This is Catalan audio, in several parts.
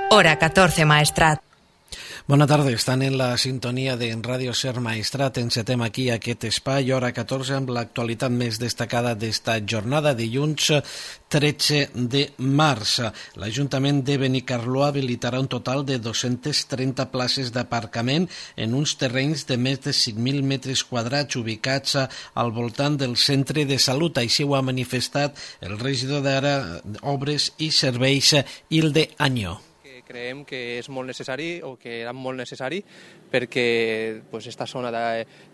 Hora 14, Maestrat. Bona tarda, estan en la sintonia de Ràdio Ser Maestrat. Encetem aquí aquest espai, hora 14, amb l'actualitat més destacada d'esta jornada, dilluns 13 de març. L'Ajuntament de Benicarló habilitarà un total de 230 places d'aparcament en uns terrenys de més de 5.000 metres quadrats ubicats al voltant del centre de salut. Així ho ha manifestat el regidor d'Ara, Obres i Serveis, Hilde Añó. Creiem que és molt necessari o que era molt necessari perquè esta zona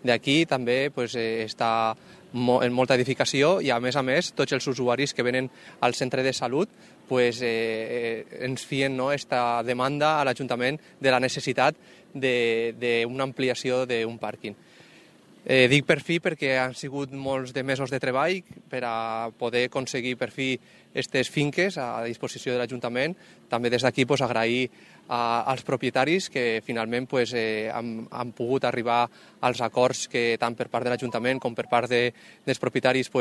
d'aquí també està en molta edificació i a més tots els usuaris que venen al centre de salut ens fien esta demanda a l'Ajuntament de la necessitat d'una ampliació d'un pàrquing. Dic per fi perquè han sigut molts de mesos de treball per a poder aconseguir per fi aquestes finques a disposició de l'Ajuntament. També des d'aquí agrair als propietaris que finalment han pogut arribar als acords que tant per part de l'Ajuntament com per part dels propietaris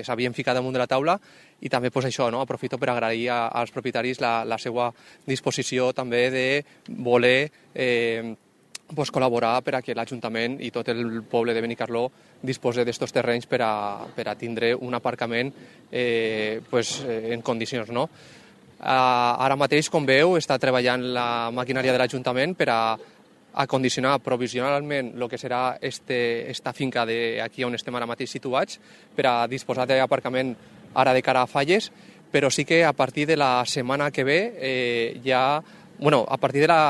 s'havien ficat damunt de la taula i també això, aprofito per agrair als propietaris la seva disposició també de voler col·laborar per a que l'Ajuntament i tot el poble de Benicarló disposi d'estos terrenys per a tindre un aparcament en condicions. Ara mateix, com veu, està treballant la maquinària de l'Ajuntament per a acondicionar provisionalment el que serà esta finca aquí on estem ara mateix situats per a disposar d'aparcament ara de cara a Falles, però sí que a partir de la setmana que ve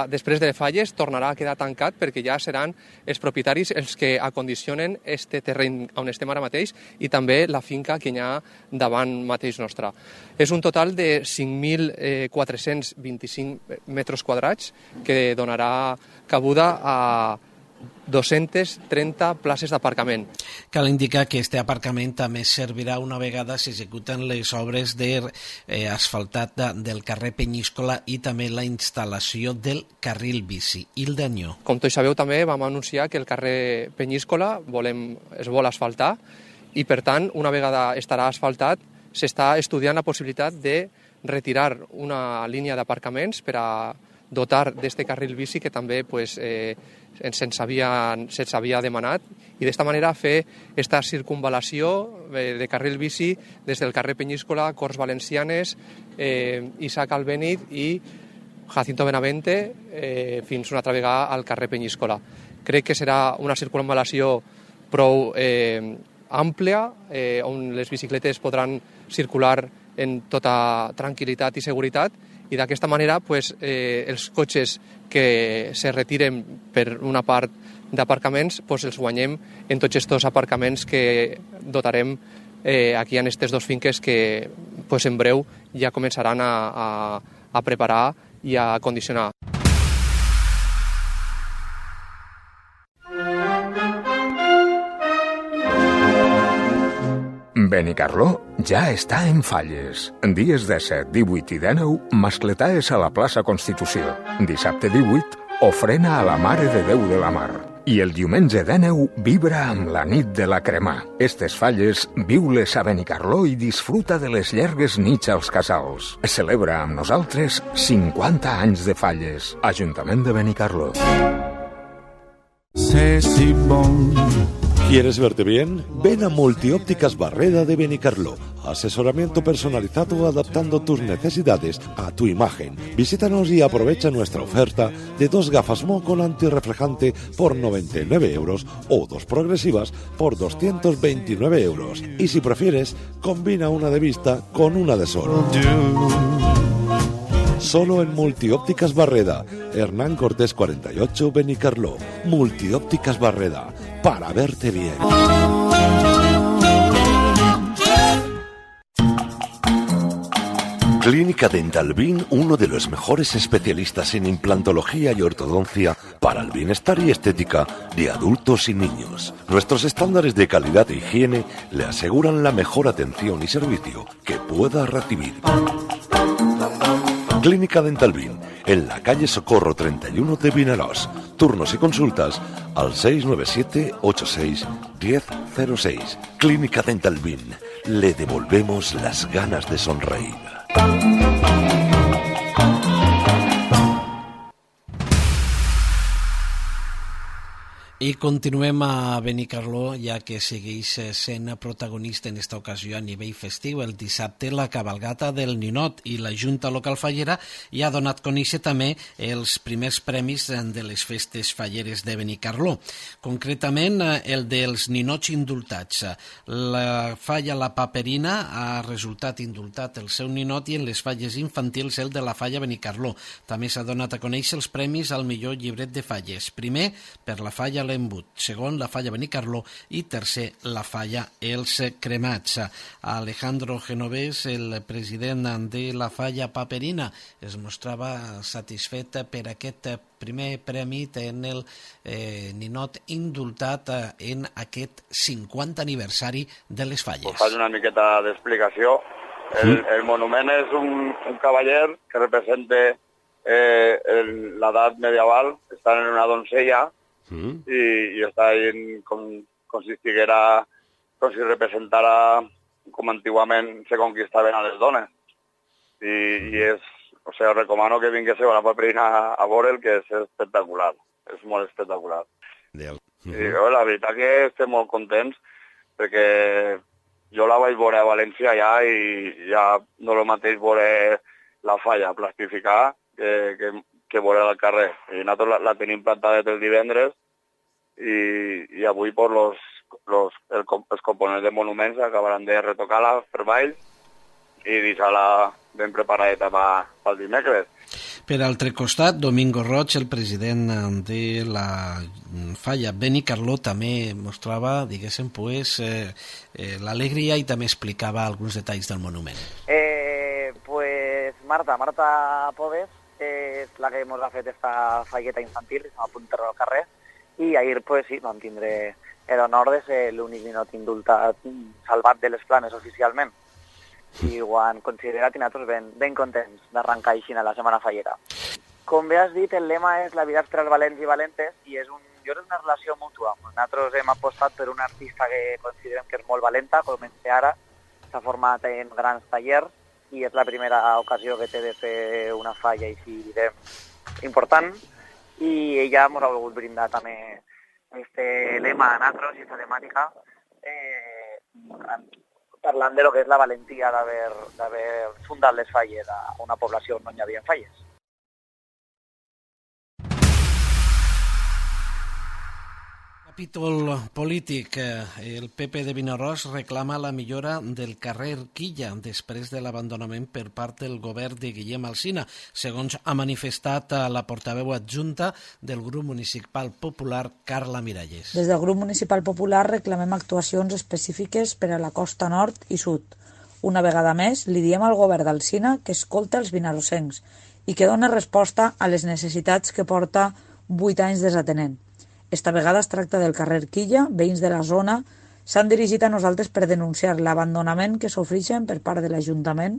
després de Falles tornarà a quedar tancat perquè ja seran els propietaris els que acondicionen este terreny on estem ara mateix i també la finca que hi ha davant mateix nostra. És un total de 5.425 metres quadrats que donarà cabuda a 230 places d'aparcament. Cal indicar que este aparcament també servirà una vegada s'executen les obres d'asfaltat del carrer Penyíscola i també la instal·lació del carril bici. Hilde Añó. Com tots sabeu, també vam anunciar que el carrer Penyíscola es vol asfaltar i, per tant, una vegada estarà asfaltat, s'està estudiant la possibilitat de retirar una línia d'aparcaments per a dotar d'este carril bici que també se'ns havia demanat i d'esta manera fer esta circunvalació de carril bici des del carrer Penyíscola, Corts Valencianes, Isaac Albéniz i Jacinto Benavente fins una altra vegada al carrer Penyíscola. Crec que serà una circunvalació prou àmplia on les bicicletes podran circular en tota tranquil·litat i seguretat i d'aquesta manera els cotxes que se retiren per una part d'aparcaments els guanyem en tots aquests aparcaments que dotarem aquí en aquestes dues finques que en breu ja començaran a preparar i a acondicionar. Benicarló ja està en Falles. Dies 17, 18 i 19, mascletaes a la plaça Constitució. Dissabte 18, ofrena a la Mare de Déu de la Mar. I el diumenge 19, vibra amb la nit de la cremà. Estes Falles, viu-les a Benicarló i disfruta de les llargues nits als casals. Celebra amb nosaltres 50 anys de Falles. Ajuntament de Benicarló. ¿Quieres verte bien? Ven a Multiópticas Barreda de Benicarló. Asesoramiento personalizado adaptando tus necesidades a tu imagen. Visítanos y aprovecha nuestra oferta de 2 gafas Mo con antirreflejante por 99 euros o 2 progresivas por 229 euros. Y si prefieres, combina una de vista con una de sol. Solo en Multiópticas Barreda, Hernán Cortés 48, Benicarló. Multiópticas Barreda, para verte bien. Clínica Dental Bin, uno de los mejores especialistas en implantología y ortodoncia para el bienestar y estética de adultos y niños. Nuestros estándares de calidad e higiene le aseguran la mejor atención y servicio que pueda recibir. Clínica Dental Bin, en la calle Socorro 31 de Vinaròs. Turnos y consultas al 697 86 1006. Clínica Dental Bin, le devolvemos las ganas de sonreír. I continuem a Benicarló, ja que segueix sent protagonista en esta ocasió a nivell festiu. El dissabte la cabalgata del Ninot i la Junta Local Fallera ja ha donat a conèixer també els primers premis de les festes falleres de Benicarló. Concretament, el dels ninots indultats. La falla La Paperina ha resultat indultat el seu ninot i en les falles infantils el de la falla Benicarló. També s'ha donat a conèixer els premis al millor llibret de falles. Primer, per la falla L'Embut, segon, la falla Benicarló i tercer, la falla Els Cremats. Alejandro Genovés, el president de la falla Paperina, es mostrava satisfet per aquest primer premi en el ninot indultat en aquest 50 aniversari de les falles. Pues faig una miqueta d'explicació. El monument és un cavaller que representa l'edat medieval, està en una doncella i està com si estiguera, com si representara com antigament se conquistaven a les dones. I és, o sigui, recomano que vinguéssiu a la Paperina a veure'l, que és espectacular, és molt espectacular. I la veritat que estem molt contents perquè jo la vaig veure a València ja i ja no el mateix veure la falla plastificar que veure al carrer. I nosaltres la tenim plantada el divendres i avui els components de monuments acabaran de retocar-la per baix i deixar-la ben preparadeta pel dimecres. Per altre costat, Domingo Roig, el president de la falla Benicarló, també mostrava, diguéssim, l'alegria i també explicava alguns detalls del monument. Marta Poves és la que ens ha fet esta falleta infantil, que s'ha apuntat al carrer, i ahir sí, vam tindre l'honor de ser l'únic ninot indultat salvat de les flames oficialment. I ho han considerat i nosaltres ben contents d'arrencar així a la Setmana Fallera. Com bé has dit, el lema és la vida per als valents i valentes i és una relació mútua. Nosaltres hem apostat per una artista que considerem que és molt valenta, comença ara, s'ha format en grans tallers i és la primera ocasió que té de fer una falla així, direm, important, i ella ens ha volgut brindar també este lema a nosaltres i aquesta temàtica, parlant de lo que és la valentia d'haver fundat les falles a una població on no hi havia falles. Capítol polític. El PP de Vinaròs reclama la millora del carrer Quilla després de l'abandonament per part del govern de Guillem Alsina, segons ha manifestat la portaveu adjunta del grup municipal popular, Carla Miralles. Des del grup municipal popular reclamem actuacions específiques per a la costa nord i sud. Una vegada més, li diem al govern d'Alsina que escolta els vinarossencs i que dona resposta a les necessitats que porta 8 anys desatenent. Esta vegada es tracta del carrer Quilla. Veïns de la zona s'han dirigit a nosaltres per denunciar l'abandonament que s'ofereixen per part de l'Ajuntament,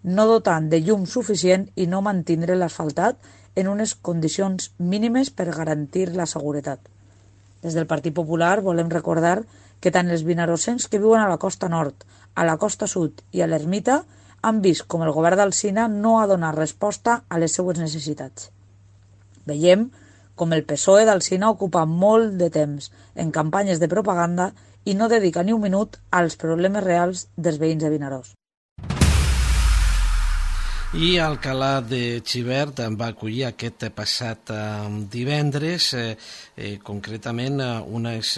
no dotant de llum suficient i no mantindre l'asfaltat en unes condicions mínimes per garantir la seguretat. Des del Partit Popular volem recordar que tant els vinarossencs que viuen a la costa nord, a la costa sud i a l'Ermita han vist com el govern d'Alsina no ha donat resposta a les seues necessitats. Veiem com el PSOE d'Alsina ocupa molt de temps en campanyes de propaganda i no dedica ni un minut als problemes reals dels veïns de Vinaròs. I Alcalà de Xivert va acollir aquest passat divendres, concretament unes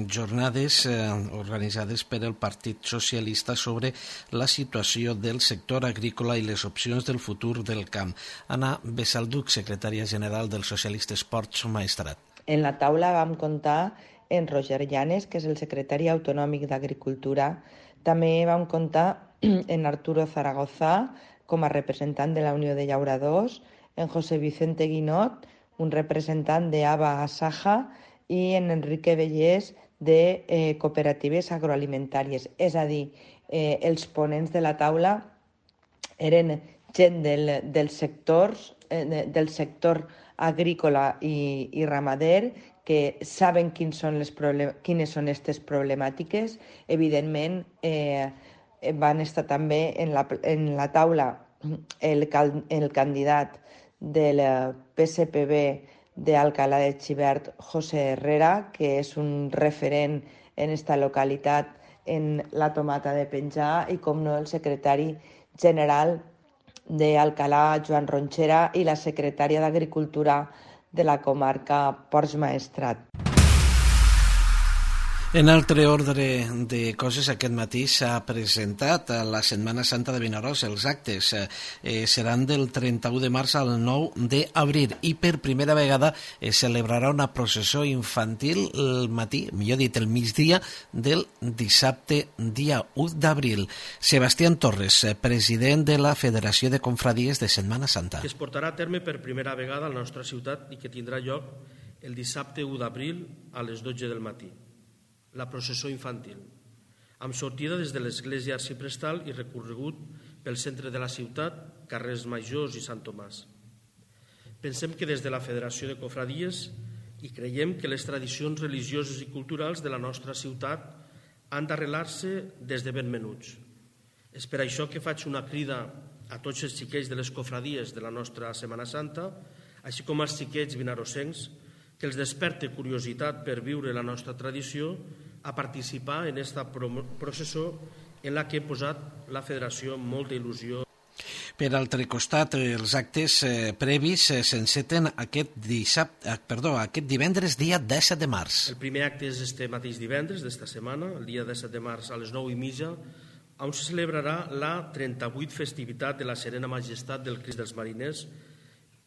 jornades organitzades per el Partit Socialista sobre la situació del sector agrícola i les opcions del futur del camp. Anna Besalduc, secretària general del Socialista Esports Maestrat. En la taula vam comptar en Roger Llanes, que és el secretari autonòmic d'Agricultura. També vam comptar en Arturo Zaragoza, com a representant de la Unió de Llauradors, en José Vicente Guinot, un representant d'ABA Asaja, i en Enrique Bellés, de cooperatives agroalimentàries. És a dir, els ponents de la taula eren gent del sector agrícola i ramader, que saben quines són aquestes problemàtiques. Evidentment, van estar també en la taula el candidat del PSPB de Alcalá de Xivert, José Herrera, que és un referent en esta localitat en la tomata de penjar, i com no el secretari general d'Alcalá, Joan Ronchera, i la secretària d'Agricultura de la comarca Ports Maestrat. En altre ordre de coses, aquest matí s'ha presentat a la Setmana Santa de Vinaròs. Els actes seran del 31 de març al 9 d'abril i per primera vegada es celebrarà una processó infantil el matí, millor dit el migdia, del dissabte dia 1 d'abril. Sebastián Torres, president de la Federació de Confradies de Setmana Santa. Que es portarà a terme per primera vegada a la nostra ciutat i que tindrà lloc el dissabte 1 d'abril a les 12 del matí. La processó infantil, amb sortida des de l'església arciprestal i recorregut pel centre de la ciutat, carrers Majors i Sant Tomàs. Pensem que des de la Federació de Cofradies i creiem que les tradicions religioses i culturals de la nostra ciutat han d'arrelar-se des de ben menuts. És per això que faig una crida a tots els xiquets de les cofradies de la nostra Setmana Santa, així com als xiquets vinarossencs, que els desperte curiositat per viure la nostra tradició, a participar en aquesta processó en la que he posat la Federació amb molta il·lusió. Per altre costat, els actes previs s'enceten aquest divendres, dia 17 de març. El primer acte és este mateix divendres d'esta setmana, el dia 17 de març a les 9:30, on se celebrarà la 38 festivitat de la Serena Majestat del Crist dels Mariners,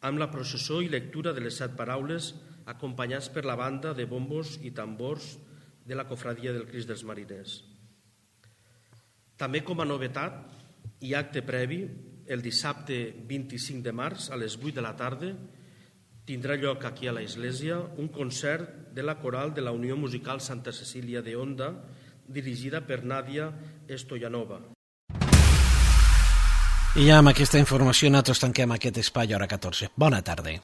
amb la processó i lectura de les 7 paraules, acompanyats per la banda de bombos i tambors de la Cofradia del Crist dels Mariners. També com a novetat i acte previ, el dissabte 25 de març a les 8 de la tarda tindrà lloc aquí a l'església un concert de la coral de la Unió Musical Santa Cecília de Onda, dirigida per Nàdia Stoyanova. I ja amb aquesta informació nosaltres tanquem aquest espai a hora 14. Bona tarda.